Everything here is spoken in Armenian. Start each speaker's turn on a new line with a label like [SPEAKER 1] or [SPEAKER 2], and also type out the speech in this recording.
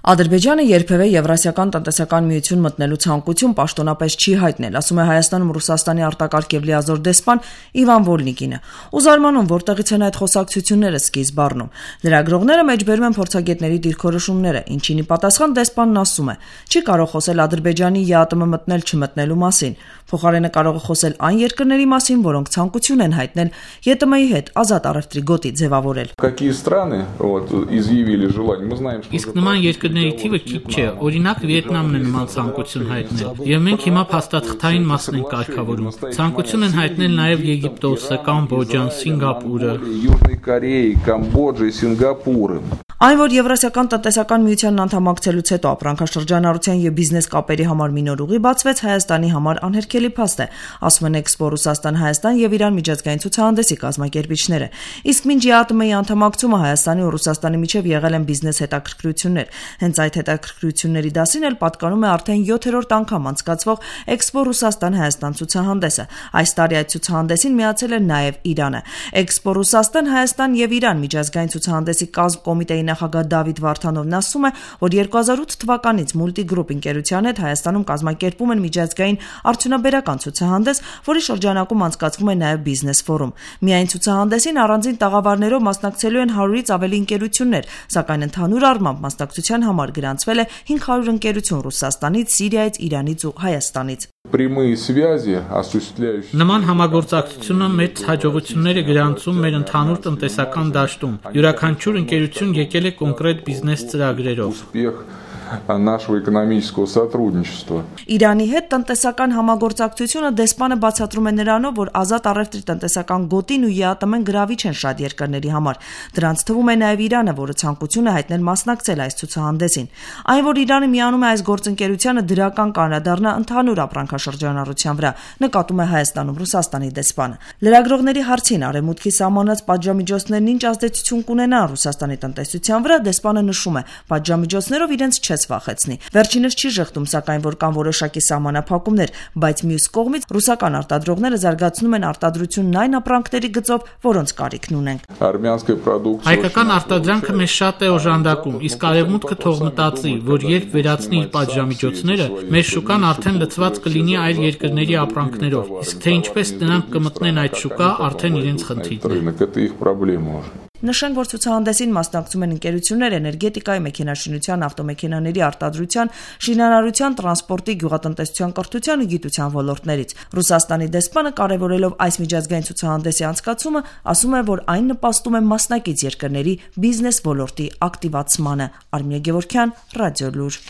[SPEAKER 1] Ադրբեջանը երբևէ Եվրասիական տնտեսական միություն մտնելու ցանկություն պաշտոնապես չի հայտնել, ասում է Հայաստանում Ռուսաստանի արտակարգ եւ լիազոր դեսպան Իվան Վոլնիկինը։ Ու զարմանում, որտեղից են այդ խոսակցությունները սկիզբ առնում։ Լրագրողները մեջբերում են փորձագետների դիրքորոշումները, ինչին ի պատասխան դեսպանն ասում է. չի կարող խոսել Ադրբեջանի ԵԱՏՄ մտնել-չմտնելու մասին, փոխարենը կարող է խոսել այն երկրների մասին, որոնք ցանկություն են հայտնել ԵՏՄ-ի հետ ազատ առևտրի գոտի ձևավորել։
[SPEAKER 2] Իսկ նման երկրների թիվը քիչ չէ, օրինակ Վիետնամն է նման ցանկություն հայտնել, եւ մենք հիմա փաստաթղթային մասն ենք կարգավորում։ Ցանկություն են հայտնել նաեւ Եգիպտոսը, Կամբոջան, Սինգապուրը։
[SPEAKER 1] Այն, որ Եվրասիական տնտեսական միությանն անդամակցելուց հետո ապրանքաշրջանառության եւ բիզնես կապերի համար մի նոր ուղի բացվեց, Հայաստանի համար անհերքելի փաստ է, ասում են Էքսպո Ռուսաստան-Հայաստան եւ Իրան միջազգային ցուցահանդեսի կազմակերպիչները։ Իսկ մինչ ԵԱՏՄ-ի անդամակցումը Հայաստանի ու Ռուսաստանի միջև եղել են բիզնես հետաքրքրություններ։ Հենց այդ հետաքրքրությունների դասին էլ պատկանում է արդեն 7-րդ անգամ անցկացվող Էքսպո Ռուսաստան-Հայաստան ցուցահանդեսը։ Այս տարի այդ ցուցահանդեսին միացել է նաեւ Իրանը։ Էքսպո Ռուսաստան-Հայաստան եւ Իրան միջազգային ցուցահանդեսի կոմիտեի նախագահ Դավիթ Վարդանովն ասում է, որ 2008 թվականից Multigroup ընկերության հետ Հայաստանում կազմակերպում են միջազգային արդյունաբերական ցուցահանդես, որի շրջանակում անցկացվում է նաև բիզնես ֆորում։ Միայն ցուցահանդեսին առանձին տաղավարներով մասնակցելու են 100-ից ավելի ընկերություններ, սակայն ընդհանուր առմամբ մասնակցության համար գրանցվել է 500 ընկերություն Ռուսաստանից, Սիրիայից, Իրանից ու Հայաստանից։
[SPEAKER 2] Նման համագործակցությունը մեծ հաջողություններ է գրանցում մեր ընդհանուր տնտեսական դաշտում։ Յուրաքանչյուր ընկերություն եկել է կոնկրետ բիզնես ծրագրերով։
[SPEAKER 1] Իրանի հետ տնտեսական համագործակցությունը դեսպանը բացատրում է նրանով, որ ազատ առևտրի տնտեսական գոտին ու ԵԱՏՄ-ն գրավիչ են շատ երկրների համար։ Դրանց թվում է նաև Իրանը, որը ցանկություն է հայտնել մասնակցել այս ցուցահանդեսին։ Այն, որ Իրանը միանում է այս գործընկերությանը, դրական կանրադառնա ընդհանուր ապրանքաշրջանառության վրա, նկատում է Հայաստանում Ռուսաստանի դեսպանը։ Լրագրողների հարցին արևմուտքի սահմանած պատժամիջոցներն ինչ ազդեցություն կունենան Ռուսաստանի տնտեսության վրա, դեսպանը նշում է, պատժամիջոցներով իրենց չես վախեցնի։ Վերջինս չի ժխտում, սակայն որ կան որոշակի սահմանափակումներ, բայց մյուս կողմից ռուսական արտադրողները զարգացնում են արտադրությունն այն ապրանքների գծով, որոնց կարիքն ունենք։
[SPEAKER 2] Հայկական արտադրանքը մեզ շատ է օժանդակում, իսկ արևմուտքը թող մտածի, որ երբ վերացնի իր պատժամիջոցները, մեր շուկան արդեն լցված կլինի այլ երկրների ապրանքներով, իսկ թե ինչպես նրանք կմտնեն այդ շուկա, արդեն իրենց խնդիրն է։
[SPEAKER 1] Նշենք, որ ցուցահանդեսին մասնակցում են ընկերություններ էներգետիկայի, մեքենաշինության, ավտոմեքենաների արտադրության, շինարարության, տրանսպորտի, գյուղատնտեսության, կրթության ու գիտության ոլորտներից։ Ռուսաստանի դեսպանը կարևորելով այս միջազգային ցուցահանդեսի անցկացումը, ասում է, որ այն նպաստում է մասնակից երկրների բիզնես ոլորտի ակտիվացմանը։ Արմինե Գևորգյան, Ռադիոլուր։